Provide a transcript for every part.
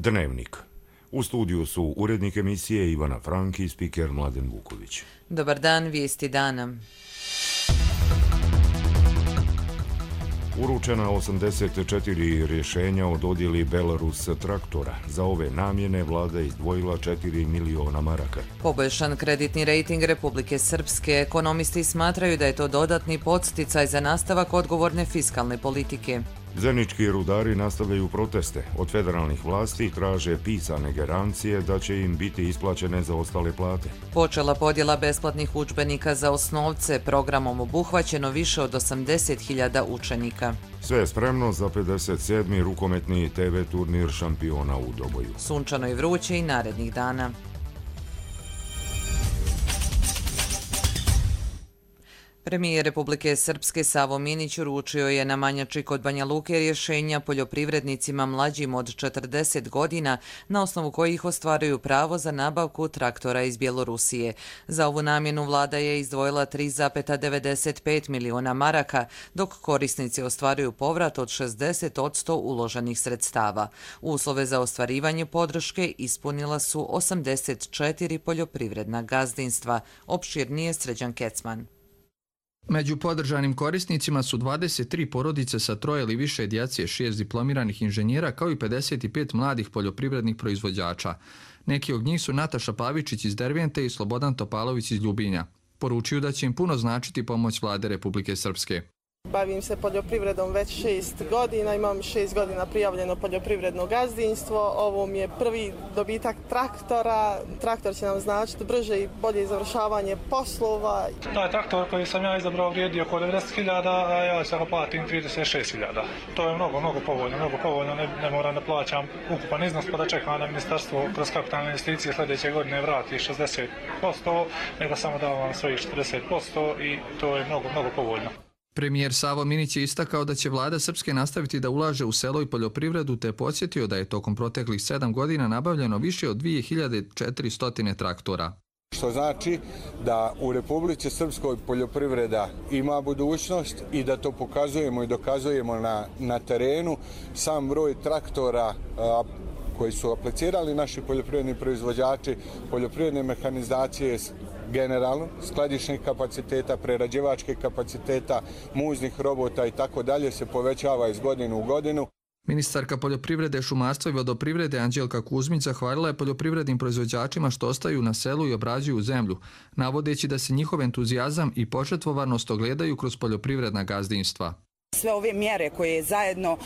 Dnevnik. U studiju su urednik emisije Ivana Frank i spiker Mladen Vuković. Dobar dan, vijesti dana. Uručena 84 rješenja o dodjeli Belarus traktora. Za ove namjene vlada izdvojila 4 miliona maraka. Poboljšan kreditni rejting Republike Srpske. Ekonomisti smatraju da je to dodatni podsticaj za nastavak odgovorne fiskalne politike. Zenički rudari nastavljaju proteste. Od federalnih vlasti traže pisane garancije da će im biti isplaćene zaostale plate. Počela podjela besplatnih udžbenika za osnovce. Programom obuhvaćeno više od 80.000 učenika. Sve je spremno za 57. rukometni TV turnir šampiona u Doboju. Sunčano i vruće i narednih dana. Premijer Republike Srpske Savo Minić uručio je na Manjači kod Banja Luke rješenja poljoprivrednicima mlađim od 40 godina na osnovu kojih ostvaruju pravo za nabavku traktora iz Bjelorusije. Za ovu namjenu vlada je izdvojila 3,95 miliona maraka, dok korisnici ostvaruju povrat od 60% uloženih sredstava. Uslove za ostvarivanje podrške ispunila su 84 poljoprivredna gazdinstva. Opširnije Sređan Kecman. Među podržanim korisnicima su 23 porodice sa 3 ili više djece, 6 diplomiranih inženjera kao i 55 mladih poljoprivrednih proizvođača. Neki od njih su Nataša Pavičić iz Dervente i Slobodan Topalović iz Ljubinja. Poručuju da će im puno značiti pomoć vlade Republike Srpske. Bavim se poljoprivredom već 6 godina, imam 6 godina prijavljeno poljoprivredno gazdinstvo. Ovo mi je prvi dobitak traktora. Traktor će nam značiti brže i bolje završavanje poslova. Taj traktor koji sam ja izabrao vrijedi oko 90.000, a ja se ga platim 36.000. To je mnogo povoljno, ne moram da plaćam ukupan iznos pa da čekam da ministarstvo kroz kapitalne investicije sljedeće godine vrati 60%, nego samo da vam svojih 40% i to je mnogo povoljno. Premijer Savo Minić je istakao da će vlada Srpske nastaviti da ulaže u selo i poljoprivredu, te podsjetio da je tokom proteklih 7 godina nabavljeno više od 2400 traktora. Što znači da u Republici Srpskoj poljoprivreda ima budućnost i da to pokazujemo i dokazujemo na terenu. Sam broj traktora koji su aplicirali naši poljoprivredni proizvođači, poljoprivredne mehanizacije, generalno, skladišnih kapaciteta, prerađivačkih kapaciteta, muznih robota i tako dalje se povećava iz godine u godinu. Ministarka poljoprivrede, šumarstva i vodoprivrede Anđelka Kuzmić zahvalila je poljoprivrednim proizvođačima što ostaju na selu i obrađuju zemlju, navodeći da se njihov entuzijazam i požrtvovanost ogledaju kroz poljoprivredna gazdinstva. Sve ove mjere koje zajedno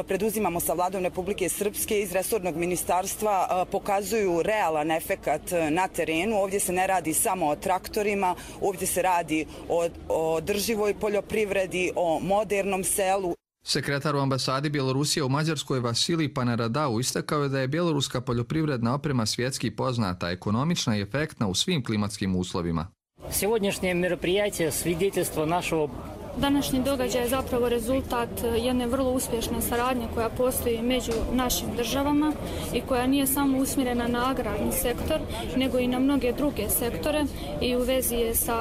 preduzimamo sa vladom Republike Srpske iz resornog ministarstva pokazuju realan efekat na terenu. Ovdje se ne radi samo o traktorima, ovdje se radi o održivoj poljoprivredi, o modernom selu. Sekretar u ambasadi Bjelorusije u Mađarskoj Vasilij Panaradau istakao je da je bjeloruska poljoprivredna oprema svjetski poznata, ekonomična i efektna u svim klimatskim uslovima. Сегодняшнее мероприятие свидетельство нашего. Današnji događaj je zapravo rezultat jedne vrlo uspješne saradnje koja postoji među našim državama i koja nije samo usmjerena na agrarni sektor, nego i na mnoge druge sektore i u vezi je sa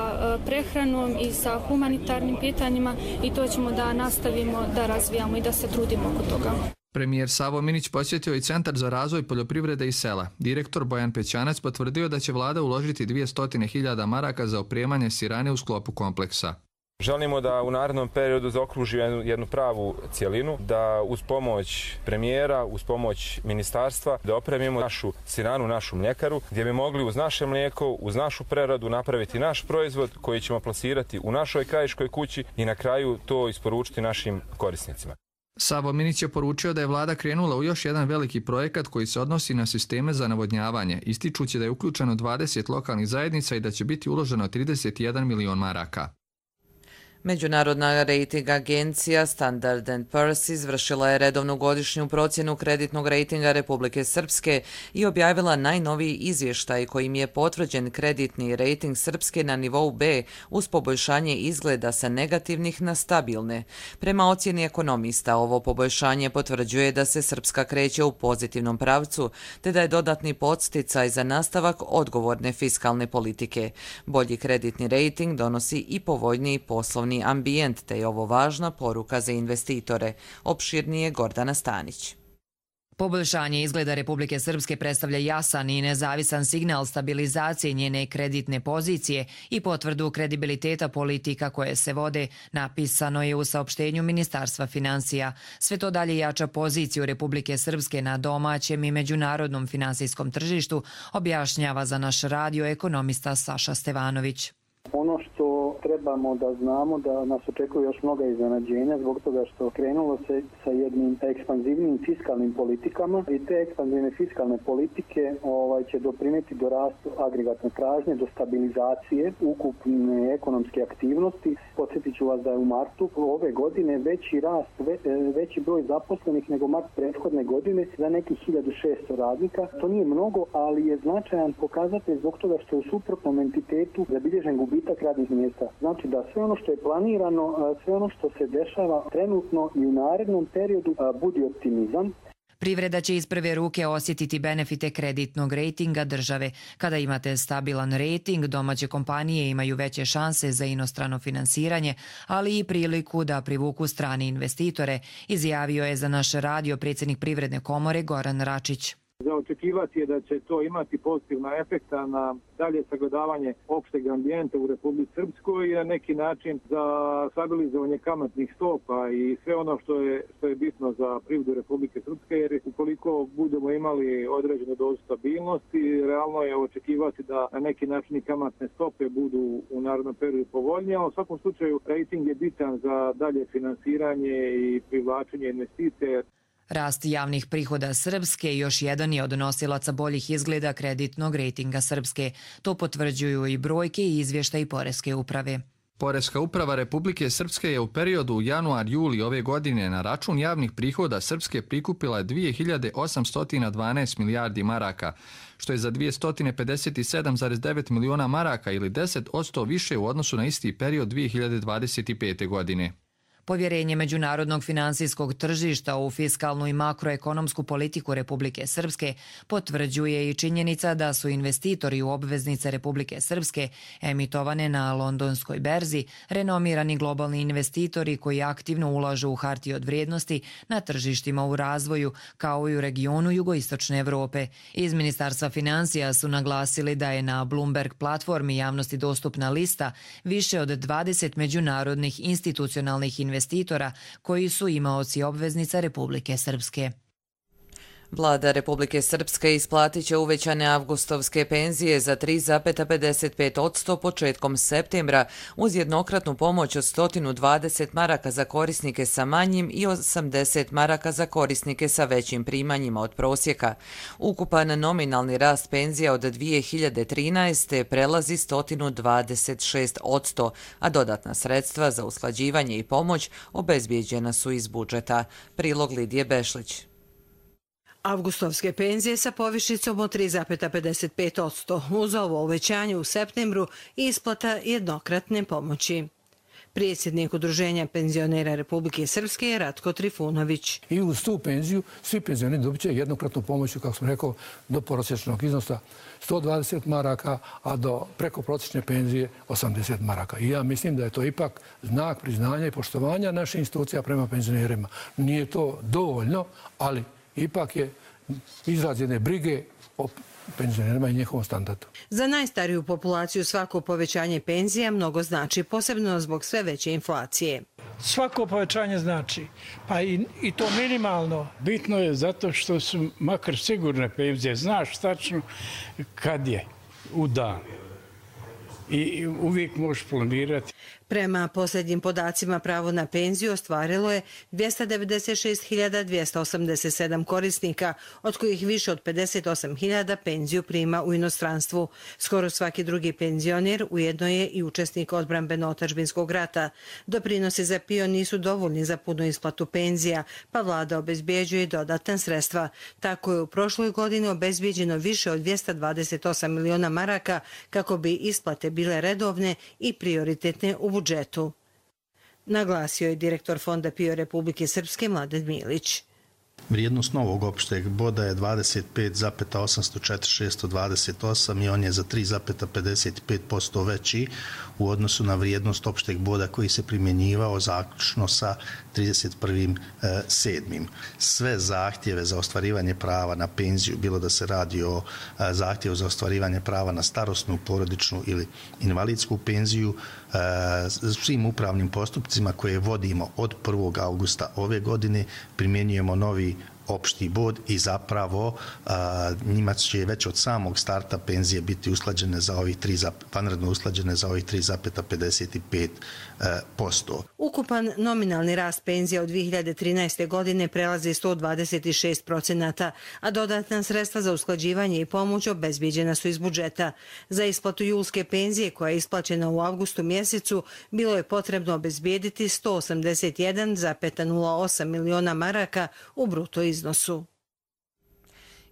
prehranom i sa humanitarnim pitanjima i to ćemo da nastavimo da razvijamo i da se trudimo oko toga. Premijer Savo Minić posjetio i Centar za razvoj poljoprivrede i sela. Direktor Bojan Pećanac potvrdio da će vlada uložiti 200.000 maraka za opremanje sirane u sklopu kompleksa. Želimo da u narednom periodu zaokružimo jednu pravu cjelinu, da uz pomoć premijera, uz pomoć ministarstva, da opremimo našu siranu, našu mljekaru, gdje bi mogli uz naše mlijeko, uz našu preradu napraviti naš proizvod koji ćemo plasirati u našoj krajiškoj kući i na kraju to isporučiti našim korisnicima. Savo Minić je poručio da je vlada krenula u još jedan veliki projekat koji se odnosi na sisteme za navodnjavanje, ističući da je uključeno 20 lokalnih zajednica i da će biti uloženo 31 milion maraka. Međunarodna rejting agencija Standard & Poor's izvršila je redovnu godišnju procjenu kreditnog rejtinga Republike Srpske i objavila najnoviji izvještaj kojim je potvrđen kreditni rejting Srpske na nivou B uz poboljšanje izgleda sa negativnih na stabilne. Prema ocjeni ekonomista, ovo poboljšanje potvrđuje da se Srpska kreće u pozitivnom pravcu, te da je dodatni podsticaj za nastavak odgovorne fiskalne politike. Bolji kreditni rejting donosi i povoljniji poslovni ambijent, te je ovo važna poruka za investitore. Opširnije Gordana Stanić. Poboljšanje izgleda Republike Srpske predstavlja jasan i nezavisan signal stabilizacije njene kreditne pozicije i potvrdu kredibiliteta politika koje se vode, napisano je u saopštenju Ministarstva finansija. Sve to dalje jača poziciju Republike Srpske na domaćem i međunarodnom finansijskom tržištu, objašnjava za naš radio ekonomista Saša Stevanović. Ono što trebamo da znamo da nas očekuju još mnoga iznenađenja zbog toga što krenulo se sa jednim ekspanzivnim fiskalnim politikama i te ekspanzivne fiskalne politike će doprinijeti do rastu agregatne tražnje, do stabilizacije ukupne ekonomske aktivnosti. Podsjetit ću vas da je u martu ove godine veći broj zaposlenih nego mart prethodne godine za nekih 1600 radnika. To nije mnogo, ali je značajan pokazatelj zbog toga što je u suprotnom entitetu zabilježen gubitak radnih mjesta. Znači da sve ono što je planirano, sve ono što se dešava trenutno i u narednom periodu budi optimizam. Privreda će iz prve ruke osjetiti benefite kreditnog rejtinga države. Kada imate stabilan rejting, domaće kompanije imaju veće šanse za inostrano finansiranje, ali i priliku da privuku strane investitore, izjavio je za naš radio predsjednik Privredne komore Goran Račić. Za očekivati je da će to imati pozitivna efekta na dalje sagledavanje opšteg ambijenta u Republici Srpskoj i na neki način za stabilizovanje kamatnih stopa i sve ono što je bitno za privredu Republike Srpske, jer ukoliko budemo imali određenu dozu stabilnosti, realno je očekivati da na neki način i kamatne stope budu u narednom periodu povoljnije, a u svakom slučaju rating je bitan za dalje finansiranje i privlačenje investicije. Rast javnih prihoda Srpske još jedan je od nosilaca boljih izgleda kreditnog rejtinga Srpske. To potvrđuju i brojke i izvještaji Poreske uprave. Poreska uprava Republike Srpske je u periodu januar-juli ove godine na račun javnih prihoda Srpske prikupila 2812 milijardi maraka, što je za 257,9 miliona maraka ili 10% više u odnosu na isti period 2025. godine. Povjerenje međunarodnog finansijskog tržišta u fiskalnu i makroekonomsku politiku Republike Srpske potvrđuje i činjenica da su investitori u obveznice Republike Srpske emitovane na londonskoj berzi renomirani globalni investitori koji aktivno ulažu u hartije od vrijednosti na tržištima u razvoju kao i u regionu jugoistočne Evrope. Iz Ministarstva finansija su naglasili da je na Bloomberg platformi javnosti dostupna lista više od 20 međunarodnih institucionalnih investitora koji su imaoci obveznica Republike Srpske. Vlada Republike Srpske isplatit će uvećane avgustovske penzije za 3,55% početkom septembra uz jednokratnu pomoć od 120 maraka za korisnike sa manjim i 80 maraka za korisnike sa većim primanjima od prosjeka. Ukupan nominalni rast penzija od 2013. prelazi 126%, a dodatna sredstva za usklađivanje i pomoć obezbijeđena su iz budžeta. Prilog Lidije Bešlić. Avgustovske penzije sa povišicom od 3,55%. Uz ovo uvećanje u septembru i isplata jednokratne pomoći. Predsjednik Udruženja penzionera Republike Srpske je Ratko Trifunović. I uz tu penziju svi penzioneri dobit će jednokratnu pomoć, kako sam rekao, do prosječnog iznosa 120 maraka, a do preko prosječne penzije 80 maraka. I ja mislim da je to ipak znak priznanja i poštovanja naših institucija prema penzionerima. Nije to dovoljno, ali ipak je izraz jedne brige o penzionerima i njihovom standardu. Za najstariju populaciju svako povećanje penzija mnogo znači, posebno zbog sve veće inflacije. Svako povećanje znači, pa i to minimalno. Bitno je zato što su makar sigurne penzije. Znaš tačno kad je u dan. I uvijek možeš planirati. Prema posljednjim podacima pravo na penziju ostvarilo je 296.287 korisnika, od kojih više od 58.000 penziju prima u inostranstvu. Skoro svaki drugi penzioner ujedno je i učesnik odbrambeno-otadžbinskog rata. Doprinosi za PIO nisu dovoljni za punu isplatu penzija, pa vlada obezbjeđuje dodatna sredstva. Tako je u prošloj godini obezbjeđeno više od 228 miliona maraka kako bi isplate bile redovne i prioritetne u budžetu. Naglasio je direktor Fonda PIO Republike Srpske Mladen Milić. Vrijednost novog opšteg boda je 25,804.628 i on je za 3,55% veći u odnosu na vrijednost opšteg boda koji se primjenjivao zaključno sa 31.7. Sve zahtjeve za ostvarivanje prava na penziju, bilo da se radi o zahtjevu za ostvarivanje prava na starosnu, porodičnu ili invalidsku penziju, svim upravnim postupcima koje vodimo od 1. augusta ove godine primjenjujemo novi opšti bod i zapravo njima će već od samog starta penzije biti usklađene za ovih vanredno usklađene za ovih 3,55%. Ukupan nominalni rast penzija od 2013. godine prelazi 126%, a dodatna sredstva za usklađivanje i pomoć obezbijeđena su iz budžeta. Za isplatu julske penzije koja je isplaćena u avgustu mjesecu bilo je potrebno obezbijediti 181,08 miliona maraka u bruto iznosu.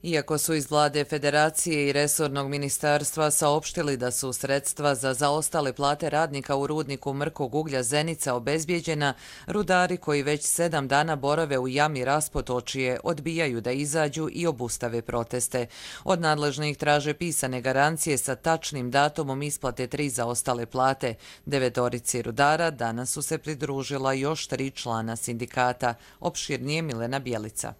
Iako su iz vlade Federacije i resornog ministarstva saopštili da su sredstva za zaostale plate radnika u rudniku mrkog uglja Zenica obezbijeđena, rudari koji već 7 dana borave u jami Raspotočje odbijaju da izađu i obustave proteste. Od nadležnih traže pisane garancije sa tačnim datumom isplate 3 zaostale plate. 9 rudara danas su se pridružila još 3 člana sindikata. Opširnije Milena Bjelica.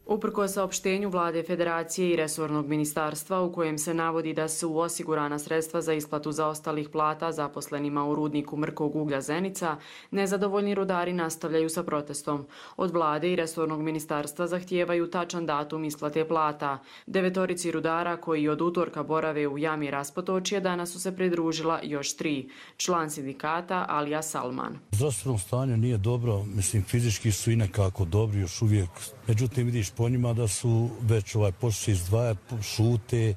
Uprkos saopštenju vlade Federacije i resornog ministarstva u kojem se navodi da su osigurana sredstva za isplatu zaostalih plata zaposlenima u rudniku mrkog uglja Zenica, nezadovoljni rudari nastavljaju sa protestom. Od vlade i resornog ministarstva zahtijevaju tačan datum isplate plata. 9 rudara koji od utorka borave u jami Raspotočje danas su se pridružila još 3. Član sindikata Alija Salman. Zdravstveno stanje nije dobro, mislim fizički su i nekako dobri još uvijek. Međutim, vidiš po njima da su već počeli izdvajati, šute,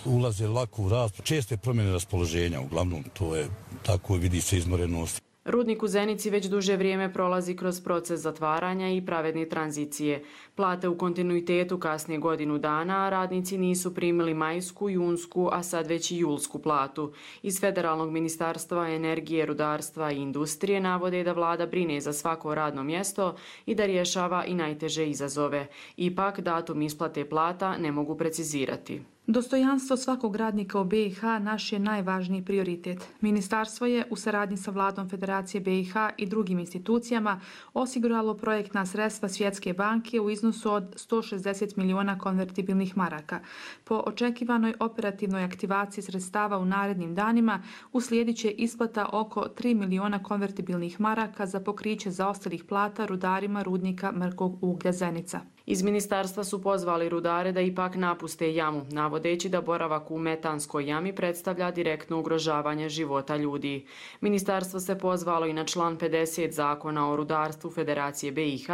ulaze lako u rast. Česte promjene raspoloženja, uglavnom to je tako, vidi se izmorenost. Rudnik u Zenici već duže vrijeme prolazi kroz proces zatvaranja i pravedne tranzicije. Plate u kontinuitetu kasnije godinu dana, a radnici nisu primili majsku, junsku, a sad već i julsku platu. Iz Federalnog ministarstva energije, rudarstva i industrije navode da vlada brine za svako radno mjesto i da rješava i najteže izazove. Ipak, datum isplate plata ne mogu precizirati. Dostojanstvo svakog radnika u BiH naš je najvažniji prioritet. Ministarstvo je u saradnji sa vladom Federacije BiH i drugim institucijama osiguralo projektna sredstva Svjetske banke u iznosu od 160 miliona konvertibilnih maraka. Po očekivanoj operativnoj aktivaciji sredstava u narednim danima uslijedit će isplata oko 3 miliona konvertibilnih maraka za pokriće zaostalih plata rudarima rudnika mrkog uglja Zenica. Iz ministarstva su pozvali rudare da ipak napuste jamu, navodeći da boravak u metanskoj jami predstavlja direktno ugrožavanje života ljudi. Ministarstvo se pozvalo i na član 50 Zakona o rudarstvu Federacije BiH,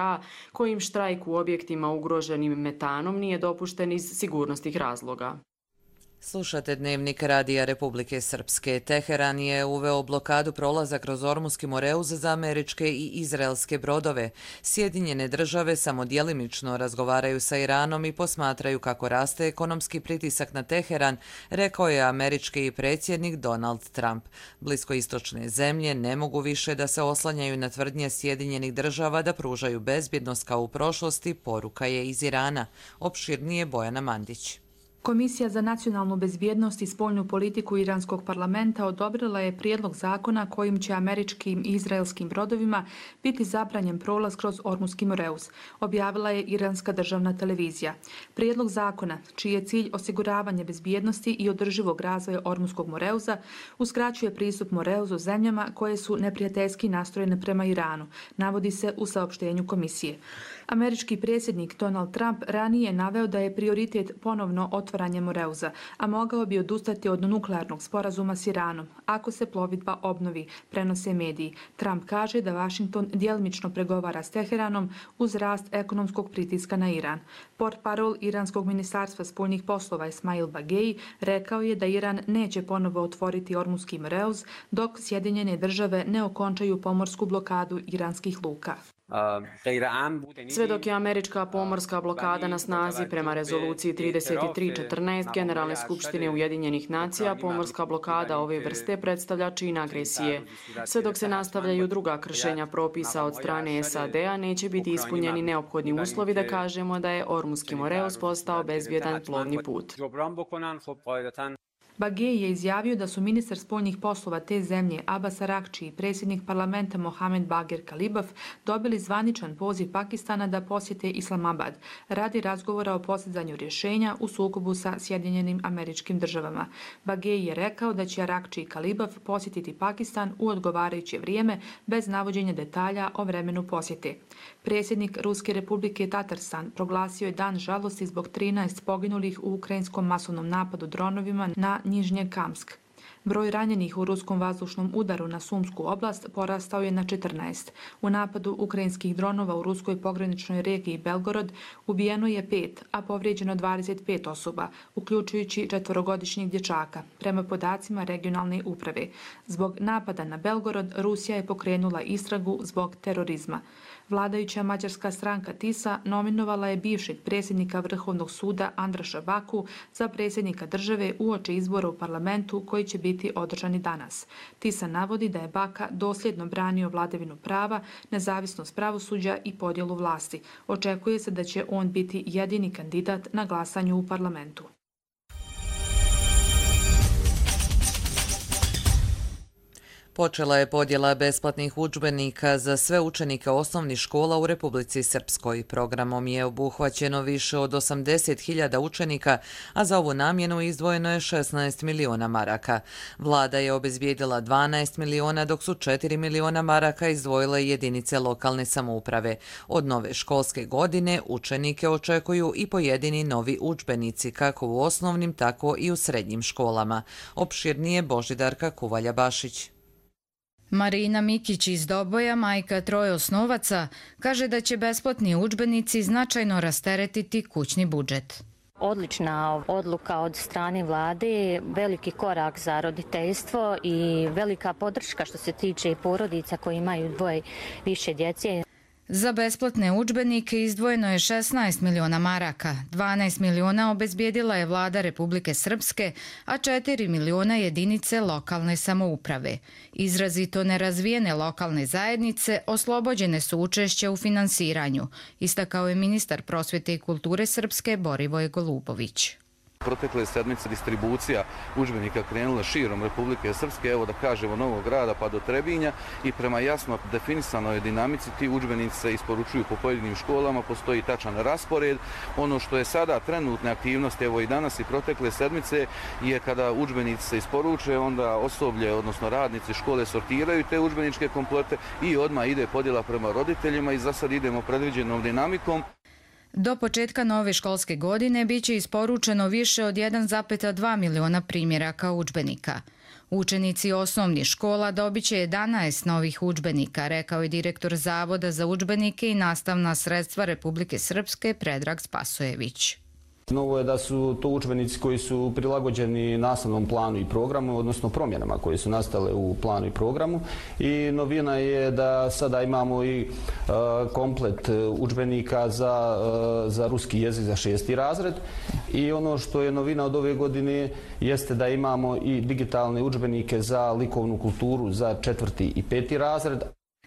kojim štrajk u objektima ugroženim metanom nije dopušten iz sigurnosnih razloga. Slušate Dnevnik Radija Republike Srpske. Teheran je uveo blokadu prolaza kroz Ormuski Moreuz za američke i izraelske brodove. Sjedinjene države samo djelimično razgovaraju sa Iranom i posmatraju kako raste ekonomski pritisak na Teheran, rekao je američki predsjednik Donald Trump. Bliskoistočne zemlje ne mogu više da se oslanjaju na tvrdnje Sjedinjenih država da pružaju bezbjednost kao u prošlosti, poruka je iz Irana. Opširnije Bojana Mandić. Komisija za nacionalnu bezbjednost i spoljnu politiku Iranskog parlamenta odobrila je prijedlog zakona kojim će američkim i izraelskim brodovima biti zabranjen prolaz kroz Ormuski Moreuz, objavila je Iranska državna televizija. Prijedlog zakona, čiji je cilj osiguravanje bezbjednosti i održivog razvoja Ormuskog Moreuza, uskraćuje pristup Moreuzu zemljama koje su neprijateljski nastrojene prema Iranu, navodi se u saopštenju komisije. Američki predsjednik Donald Trump ranije je naveo da je prioritet ponovno otvaranje Moreuza, a mogao bi odustati od nuklearnog sporazuma s Iranom, ako se plovidba obnovi, prenose mediji. Trump kaže da Washington djelimično pregovara s Teheranom uz rast ekonomskog pritiska na Iran. Portparol Iranskog ministarstva spoljnih poslova Ismail Bagei rekao je da Iran neće ponovo otvoriti Ormuski Moreuz dok Sjedinjene države ne okončaju pomorsku blokadu iranskih luka. Sve dok je američka pomorska blokada na snazi prema rezoluciji 3314 Generalne skupštine Ujedinjenih nacija, pomorska blokada ove vrste predstavlja čin agresije. Sve dok se nastavljaju druga kršenja propisa od strane SAD-a, neće biti ispunjeni neophodni uslovi da kažemo da je Ormuski Moreus postao bezbjedan plovni put. Bagej je izjavio da su ministar spoljnih poslova te zemlje Abbas Arakči i predsjednik parlamenta Mohamed Bagher Khalibaf dobili zvaničan poziv Pakistana da posjete Islamabad radi razgovora o postizanju rješenja u sukobu sa Sjedinjenim Američkim Državama. Bagej je rekao da će Arakči i Khalibaf posjetiti Pakistan u odgovarajuće vrijeme bez navođenja detalja o vremenu posjete. Predsjednik Ruske republike Tatarstan proglasio je dan žalosti zbog 13 poginulih u ukrajinskom masovnom napadu dronovima na Nižnje Kamsk. Broj ranjenih u ruskom vazdušnom udaru na Sumsku oblast porastao je na 14. U napadu ukrajinskih dronova u ruskoj pograničnoj regiji Belgorod ubijeno je 5, a povrijeđeno 25 osoba, uključujući 4-godišnjeg dječaka, prema podacima regionalne uprave. Zbog napada na Belgorod, Rusija je pokrenula istragu zbog terorizma. Vladajuća mađarska stranka TISA nominovala je bivšeg predsjednika Vrhovnog suda Andraša Baku za predsjednika države uoči izbora u parlamentu koji će biti održani danas. TISA navodi da je Baka dosljedno branio vladavinu prava, nezavisnost pravosuđa i podjelu vlasti. Očekuje se da će on biti jedini kandidat na glasanju u parlamentu. Počela je podjela besplatnih udžbenika za sve učenike osnovnih škola u Republici Srpskoj. Programom je obuhvaćeno više od 80.000 učenika, a za ovu namjenu izdvojeno je 16 miliona maraka. Vlada je obezbijedila 12 miliona, dok su 4 miliona maraka izdvojile jedinice lokalne samouprave. Od nove školske godine učenike očekuju i pojedini novi udžbenici, kako u osnovnim, tako i u srednjim školama. Opširnije Božidarka Kuvalja-Bašić. Marina Mikić iz Doboja, majka 3 osnovaca, kaže da će besplatni udžbenici značajno rasteretiti kućni budžet. Odlična odluka od strane vlade, veliki korak za roditeljstvo i velika podrška što se tiče porodica koji imaju 2 više djece. Za besplatne udžbenike izdvojeno je 16 miliona maraka, 12 miliona obezbijedila je vlada Republike Srpske, a 4 miliona jedinice lokalne samouprave. Izrazito nerazvijene lokalne zajednice oslobođene su učešća u finansiranju, istakao je ministar prosvjete i kulture Srpske Borivoj Golubović. Protekle sedmice distribucija udžbenika krenula širom Republike Srpske, evo da kažemo Novog Grada pa do Trebinja, i prema jasno definisanoj dinamici ti udžbenici se isporučuju po pojedinim školama, postoji tačan raspored. Ono što je sada trenutne aktivnosti, evo i danas i protekle sedmice, je kada udžbenici se isporuče, onda osoblje, odnosno radnici škole sortiraju te udžbeničke komplete i odmah ide podjela prema roditeljima i za sad idemo predviđenom dinamikom. Do početka nove školske godine biće isporučeno više od 1,2 miliona primjeraka udžbenika. Učenici osnovnih škola dobit će 11 novih udžbenika, rekao je direktor Zavoda za udžbenike i nastavna sredstva Republike Srpske Predrag Spasojević. Novo je da su to udžbenici koji su prilagođeni nastavnom planu i programu, odnosno promjenama koje su nastale u planu i programu. I novina je da sada imamo i komplet udžbenika za ruski jezik za 6. razred. I ono što je novina od ove godine jeste da imamo i digitalne udžbenike za likovnu kulturu za 4. i 5. razred.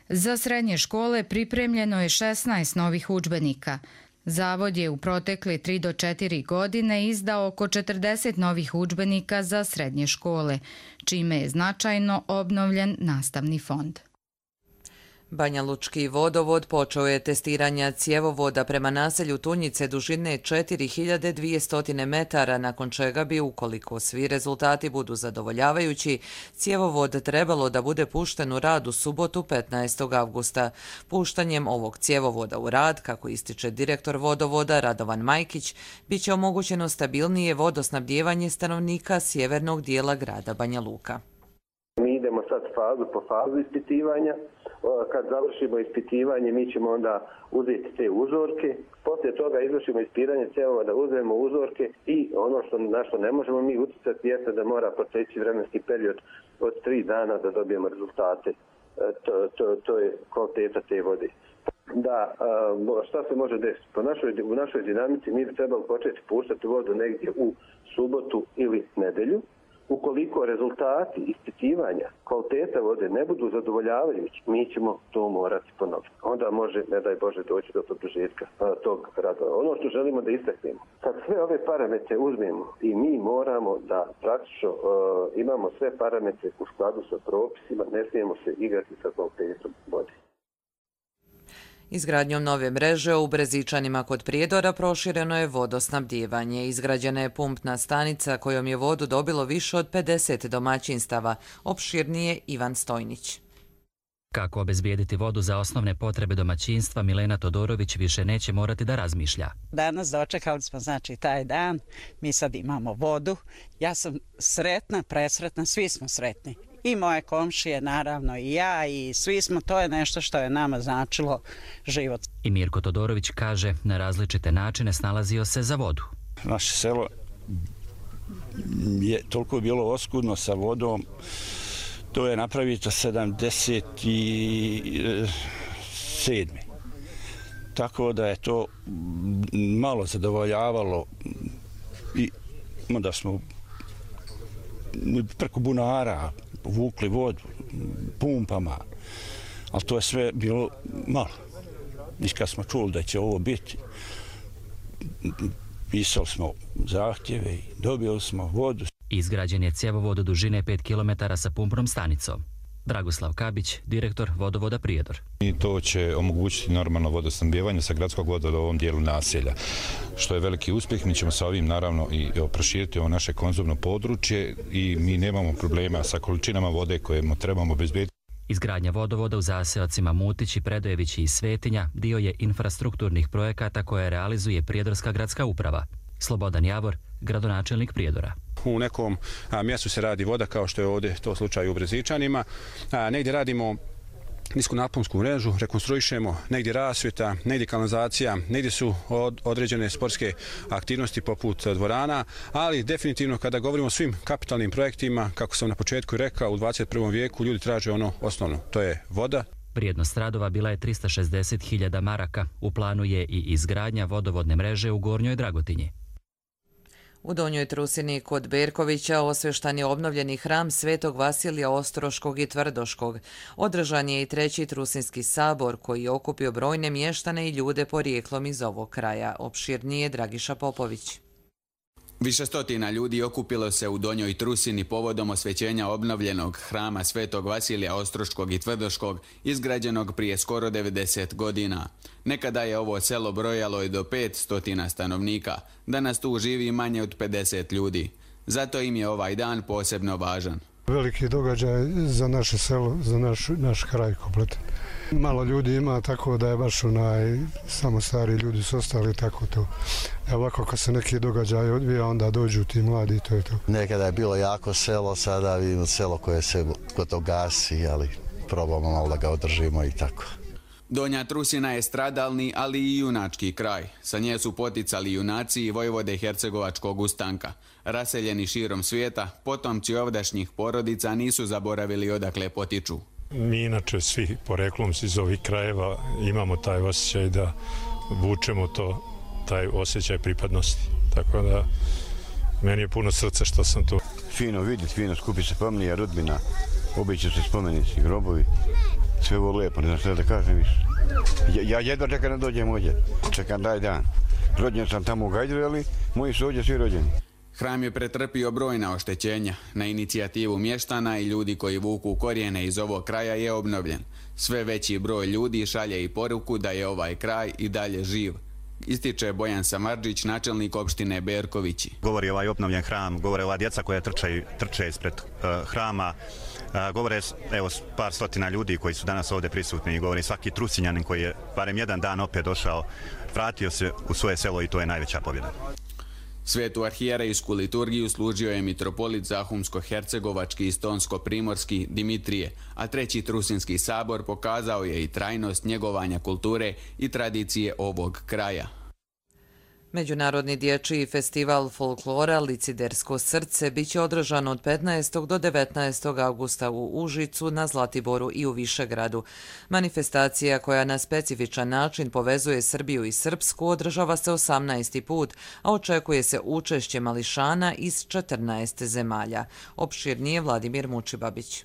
Za srednje škole pripremljeno je 16 novih udžbenika. Zavod je u protekle 3 do 4 godine izdao oko 40 novih udžbenika za srednje škole, čime je značajno obnovljen nastavni fond. Banja Lučki vodovod počeo je testiranja cjevovoda prema naselju Tunjice dužine 4200 metara, nakon čega bi, ukoliko svi rezultati budu zadovoljavajući, cjevovod trebalo da bude pušten u rad u subotu 15. avgusta. Puštanjem ovog cjevovoda u rad, kako ističe direktor vodovoda Radovan Majkić, bit će omogućeno stabilnije vodosnabdijevanje stanovnika sjevernog dijela grada Banja Luka. Mi idemo sad fazu po fazu ispitivanja. Kad završimo ispitivanje, mi ćemo onda uzeti te uzorke. Poslije toga izvršimo ispiranje cjevovoda, uzmemo uzorke i ono na što ne možemo mi utjecati jeste da mora proteći vremenski period od 3 dana da dobijemo rezultate. To je kvaliteta te vode. da šta se može desiti. U našoj dinamici mi bi trebali početi puštati vodu negdje u subotu ili nedelju. Ukoliko rezultati ispitivanja kvaliteta vode ne budu zadovoljavajući, mi ćemo to morati ponoviti. Onda može, ne daj Bože, doći do produžetka tog rada. Ono što želimo da istaknemo, kad sve ove parametre uzmemo i mi moramo da praktično imamo sve parametre u skladu sa propisima, ne smijemo se igrati sa kvalitetom vode. Izgradnjom nove mreže u Brezičanima kod Prijedora prošireno je vodosnabdijevanje. Izgrađena je pumpna stanica kojom je vodu dobilo više od 50 domaćinstava. Opširnije Ivan Stojnić. Kako obezbijediti vodu za osnovne potrebe domaćinstva, Milena Todorović više neće morati da razmišlja. Danas dočekali smo taj dan, mi sad imamo vodu. Ja sam sretna, presretna, svi smo sretni. I moje komšije, naravno, i ja, i svi smo, to je nešto što je nama značilo život. I Mirko Todorović kaže, na različite načine snalazio se za vodu. Naše selo je toliko bilo oskudno sa vodom, to je napravito 77. Tako da je to malo zadovoljavalo i onda smo preko bunara vukli vodu pumpama, ali to je sve bilo malo. I kad smo čuli da će ovo biti, pisali smo zahtjeve i dobili smo vodu. Izgrađen je cjevovod dužine 5 km sa pumpnom stanicom. Dragoslav Kabić, direktor vodovoda Prijedor. I to će omogućiti normalno vodosnabdijevanje sa gradskog vodovoda u ovom dijelu naselja, što je veliki uspjeh. Mi ćemo sa ovim naravno i proširiti ovo naše konzumno područje i mi nemamo problema sa količinama vode koje trebamo obezbediti. Izgradnja vodovoda u zaseocima Mutići, Predojevići i Svetinja dio je infrastrukturnih projekata koje realizuje Prijedorska gradska uprava. Slobodan Javor, gradonačelnik Prijedora. U nekom mjestu se radi voda, kao što je ovdje to slučaj u Brezičanima. Negdje radimo niskonaponsku mrežu, rekonstruišemo, negdje rasvjeta, negdje kanalizacija, negdje su određene sportske aktivnosti poput dvorana, ali definitivno kada govorimo o svim kapitalnim projektima, kako sam na početku rekao, u 21. vijeku ljudi traže ono osnovno, to je voda. Vrijednost radova bila je 360.000 maraka. U planu je i izgradnja vodovodne mreže u Gornjoj Dragotinji. U Donjoj Trusini kod Berkovića osvještan je obnovljeni hram Svetog Vasilija Ostroškog i Tvrdoškog. Održan je i 3. Trusinski sabor koji je okupio brojne mještane i ljude porijeklom iz ovog kraja. Opširnije Dragiša Popović. Više stotina ljudi okupilo se u Donjoj Trusini povodom osvećenja obnovljenog hrama Svetog Vasilija Ostroškog i Tvrdoškog, izgrađenog prije skoro 90 godina. Nekada je ovo selo brojalo i do 500 stanovnika, danas tu živi manje od 50 ljudi. Zato im je ovaj dan posebno važan. Veliki događaj za naše selo, za naš kraj kompletan. Malo ljudi ima, tako da je baš samo stari ljudi su ostali, tako to. Ovako kad se neki događaj odvija, onda dođu ti mladi i to je to. Nekada je bilo jako selo, sada vidimo selo koje se gotovo gasi, ali probamo malo da ga održimo i tako. Donja Trusina je stradalni, ali i junački kraj. Sa nje su poticali junaci i vojvode Hercegovačkog ustanka. Raseljeni širom svijeta, potomci ovdašnjih porodica nisu zaboravili odakle potiču. Mi inače svi poreklom iz ovih krajeva imamo taj osjećaj da vučemo taj osjećaj pripadnosti. Tako da meni je puno srca što sam tu. Fino vidjeti, fino skupi se familija, rodbina, obići se spomenici, grobovi. Sve ovo lijepo, ne znam što da kažem više. Ja jedva čekam da dođem ovdje, čekam taj dan. Rođen sam tamo u Gajdru, ali moji su ovdje svi rođeni. Hram je pretrpio brojna oštećenja. Na inicijativu mještana i ljudi koji vuku korijene iz ovog kraja je obnovljen. Sve veći broj ljudi šalje i poruku da je ovaj kraj i dalje živ. Ističe Bojan Samardžić, načelnik opštine Berkovići. Govori ovaj obnovljen hram, govore ova djeca koja trče ispred hrama, govore evo par stotina ljudi koji su danas ovdje prisutni i govori svaki Trusinjanin koji je barem jedan dan opet došao, vratio se u svoje selo i to je najveća pobjeda. Svetu arhijerejsku liturgiju služio je mitropolit Zahumsko-hercegovački i Stonsko-primorski Dimitrije, a 3. Trusinski sabor pokazao je i trajnost njegovanja kulture i tradicije ovog kraja. Međunarodni dječji festival folklora Licidersko srce biće održan od 15. do 19. augusta u Užicu, na Zlatiboru i u Višegradu. Manifestacija koja na specifičan način povezuje Srbiju i Srpsku održava se 18. put, a očekuje se učešće mališana iz 14 zemalja. Opširnije Vladimir Mučibabić.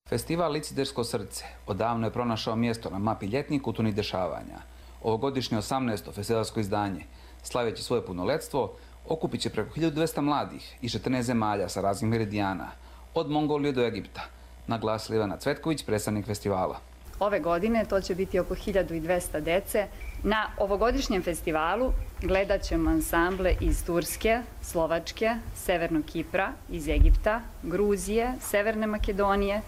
Festival Licidersko srce odavno je pronašao mjesto na mapi ljetnih kulturnih dešavanja. Ovogodišnje 18. festivalsko izdanje, slaveći svoje punoletstvo, okupit će preko 1200 mladih iz 14 zemalja sa raznih meridijana, od Mongolije do Egipta, naglasila Ivana Cvetković, predstavnik festivala. Ove godine to će biti oko 1200 dece. Na ovogodišnjem festivalu gledat ćemo ansamble iz Turske, Slovačke, Severnog Kipra, iz Egipta, Gruzije, Severne Makedonije,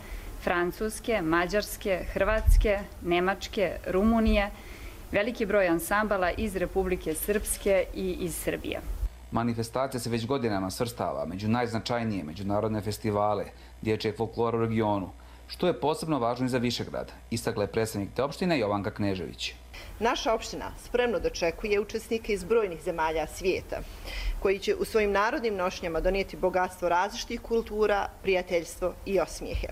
Francuske, Mađarske, Hrvatske, Nemačke, Rumunije, veliki broj ansambala iz Republike Srpske i iz Srbije. Manifestacija se već godinama svrstava među najznačajnije međunarodne festivale dječjeg folklora u regionu, što je posebno važno i za Višegrad, istakla je predstavnik te opštine Jovanka Knežević. Naša opština spremno dočekuje učesnike iz brojnih zemalja svijeta, koji će u svojim narodnim nošnjama donijeti bogatstvo različitih kultura, prijateljstvo i osmijehe.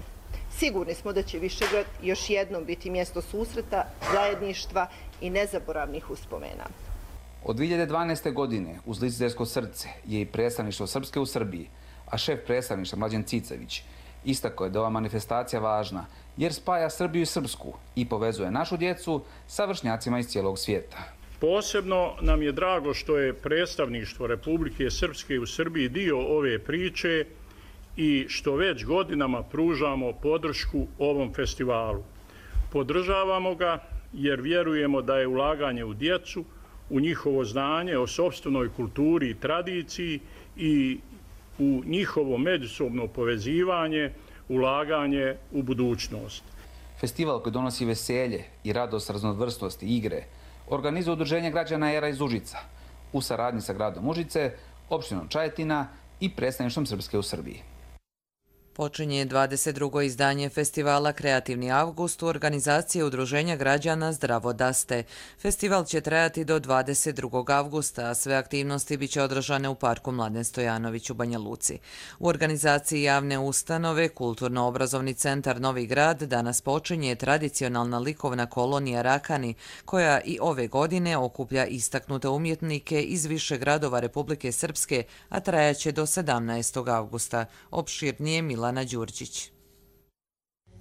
Sigurni smo da će Višegrad još jednom biti mjesto susreta, zajedništva i nezaboravnih uspomena. Od 2012. godine uz Licidersko srce je i predstavništvo Srpske u Srbiji, a šef predstavništva Mlađan Cicević istakao je da ova manifestacija važna jer spaja Srbiju i Srpsku i povezuje našu djecu sa vršnjacima iz cijelog svijeta. Posebno nam je drago što je predstavništvo Republike Srpske u Srbiji dio ove priče i što već godinama pružamo podršku ovom festivalu. Podržavamo ga jer vjerujemo da je ulaganje u djecu, u njihovo znanje o sopstvenoj kulturi i tradiciji i u njihovo međusobno povezivanje, ulaganje u budućnost. Festival koji donosi veselje i radost raznovrsnosti igre organizuje Udruženje građana Era iz Užica u saradnji sa gradom Užice, opštinom Čajetina i predstavništvom Srpske u Srbiji. Počinje 22. izdanje festivala Kreativni avgust u organizaciji Udruženja građana Zdravo daste. Festival će trajati do 22. avgusta, a sve aktivnosti biće održane u parku Mladen Stojanović u Banja Luci. U organizaciji javne ustanove Kulturno-obrazovni centar Novi Grad danas počinje tradicionalna likovna kolonija Rakani, koja i ove godine okuplja istaknute umjetnike iz više gradova Republike Srpske, a trajaće do 17. avgusta. Opširnije Milana Đurđić.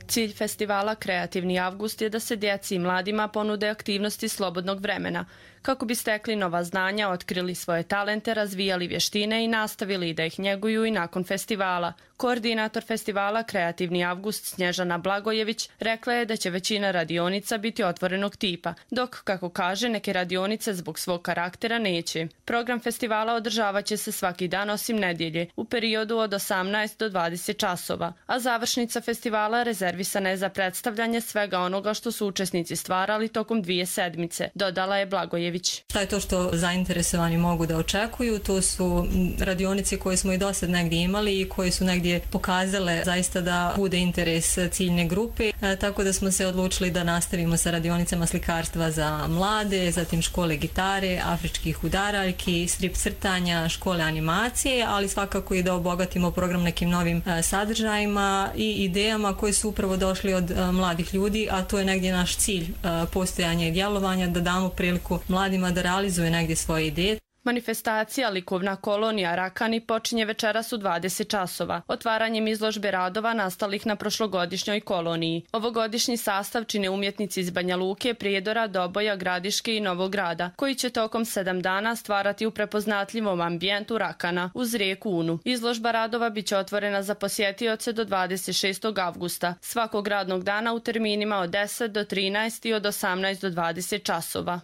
Cilj festivala Kreativni avgust je da se djeci i mladima ponude aktivnosti slobodnog vremena, kako bi stekli nova znanja, otkrili svoje talente, razvijali vještine i nastavili da ih njeguju i nakon festivala. Koordinator festivala Kreativni avgust Snježana Blagojević rekla je da će većina radionica biti otvorenog tipa, dok, kako kaže, neke radionice zbog svog karaktera neće. Program festivala održavat će se svaki dan osim nedjelje, u periodu od 18 do 20 časova, a završnica festivala rezervisana je za predstavljanje svega onoga što su učesnici stvarali tokom 2 sedmice, dodala je Blagojević. Šta je to što zainteresovani mogu da očekuju? To su radionice koje smo i do sad negdje imali i koje su negdje pokazale zaista da bude interes ciljne grupe, tako da smo se odlučili da nastavimo sa radionicama slikarstva za mlade, zatim škole gitare, afričkih udaraljki, strip crtanja, škole animacije, ali svakako i da obogatimo program nekim novim sadržajima i idejama koje su upravo došli od mladih ljudi, a to je negdje naš cilj postojanja i djelovanja, da damo priliku mladima da realizuje negdje svoje ideje. Manifestacija Likovna kolonija Rakani počinje večeras u 20 časova, otvaranjem izložbe radova nastalih na prošlogodišnjoj koloniji. Ovogodišnji sastav čine umjetnici iz Banja Luke, Prijedora, Doboja, Gradiške i Novog Grada, koji će tokom 7 dana stvarati u prepoznatljivom ambijentu Rakana uz rijeku Unu. Izložba radova biće otvorena za posjetioce do 26. avgusta, svakog radnog dana u terminima od 10 do 13 i od 18 do 20 časova.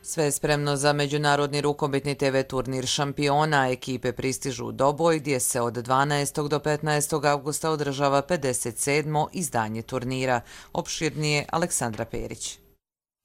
Sve je spremno za međunarodni rukometni TV turnir šampiona. Ekipe pristižu u Doboj, gdje se od 12. do 15. avgusta održava 57. izdanje turnira. Opširnije Aleksandra Perić.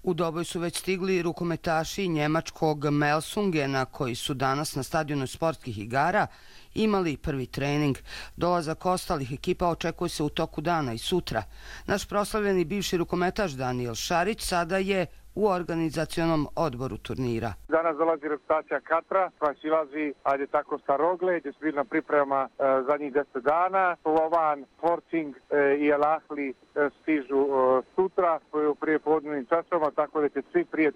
U Doboj su već stigli rukometaši njemačkog Melsungena koji su danas na stadionu sportskih igara imali prvi trening. Dolazak ostalih ekipa očekuje se u toku dana i sutra. Naš proslavljeni bivši rukometaš Daniel Šarić sada je u organizacionom odboru turnira. Danas dolazi reprezentacija Katara, koja silazi, ajde tako, sa Rogle, gdje su bili na priprema zadnjih 10 dana. Slovan, Sporting i El Ahly stižu sutra u prijepodnevnim časovima, tako da će svi prije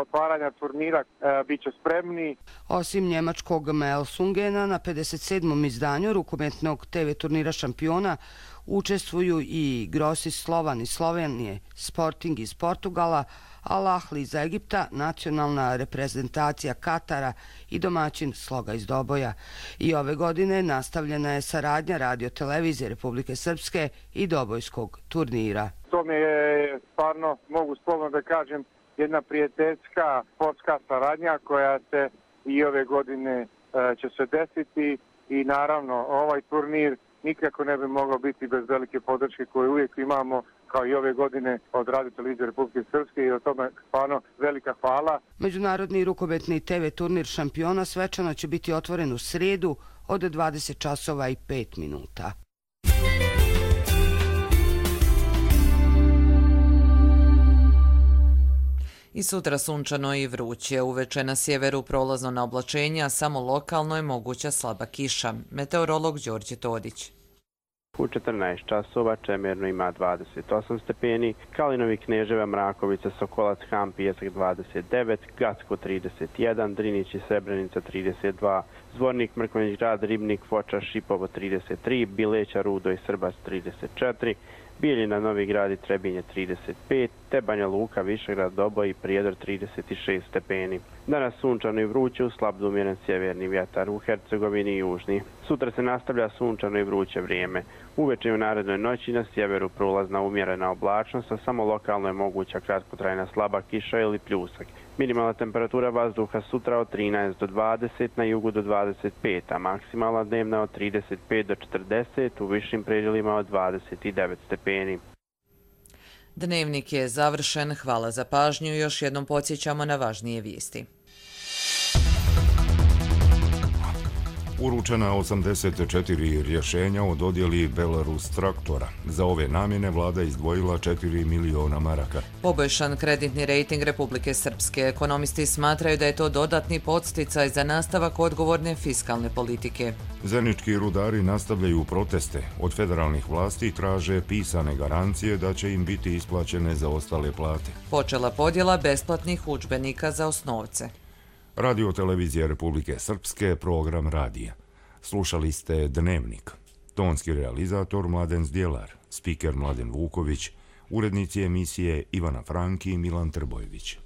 otvaranja turnira bit će spremni. Osim njemačkog Melsungena, na 57. izdanju rukometnog TV turnira šampiona učestvuju i Grossi Slovan iz Slovenije, Sporting iz Portugala, Al Ahly iz Egipta, nacionalna reprezentacija Katara i domaćin Sloga iz Doboja. I ove godine nastavljena je saradnja Radio-televizije Republike Srpske i Dobojskog turnira. To mi je stvarno, mogu slobodno da kažem, jedna prijateljska sportska saradnja koja se i ove godine će se desiti i naravno ovaj turnir nikako ne bi moglo biti bez velike podrške koju uvijek imamo kao i ove godine od Radio-televizije Republike Srpske i o tome stvarno velika hvala. Međunarodni rukometni TV turnir šampiona svečano će biti otvoren u srijedu od 20 časova i 5 minuta. I sutra sunčano i vruće. Uveče na sjeveru prolazno na oblačenje, a samo lokalno je moguća slaba kiša. Meteorolog Đorđe Todić. U 14 časova Čemerno ima 28 stepeni, Kalinovi, Kneževa, Mrakovica, Sokolac, Han, Pijesak 29, Gacko 31, Drinić i Srebrenica 32, Zvornik, Mrkonjić Grad, Ribnik, Foča, Šipovo 33, Bileća, Rudo i Srbac 34, Bijeljina, Novi Grad i Trebinje 35, te Banja Luka, Višegrad, Doboj i Prijedor 36 stepeni. Danas sunčano i vruće, uz slab do umjeren sjeverni vjetar u Hercegovini i Južni. Sutra se nastavlja sunčano i vruće vrijeme. Uveče i u narednoj noći na sjeveru prolazna umjerena oblačnost, a samo lokalno je moguća kratkotrajna slaba kiša ili pljusak. Minimalna temperatura vazduha sutra od 13 do 20, na jugu do 25, a maksimalna dnevna od 35 do 40, u višim predjelima od 29 stepeni. Dnevnik je završen. Hvala za pažnju. Još jednom podsjećamo na važnije vijesti. Uručena 84 rješenja o dodjeli Belarus traktora. Za ove namjene vlada izdvojila 4 miliona maraka. Poboljšan kreditni rejting Republike Srpske. Ekonomisti smatraju da je to dodatni podsticaj za nastavak odgovorne fiskalne politike. Zenički rudari nastavljaju proteste. Od federalnih vlasti traže pisane garancije da će im biti isplaćene za ostale plate. Počela podjela besplatnih udžbenika za osnovce. Radio-televizija Republike Srpske, program radija. Slušali ste Dnevnik. Tonski realizator Mladen Zdjelar, spiker Mladen Vuković, urednici emisije Ivana Franki i Milan Trbojević.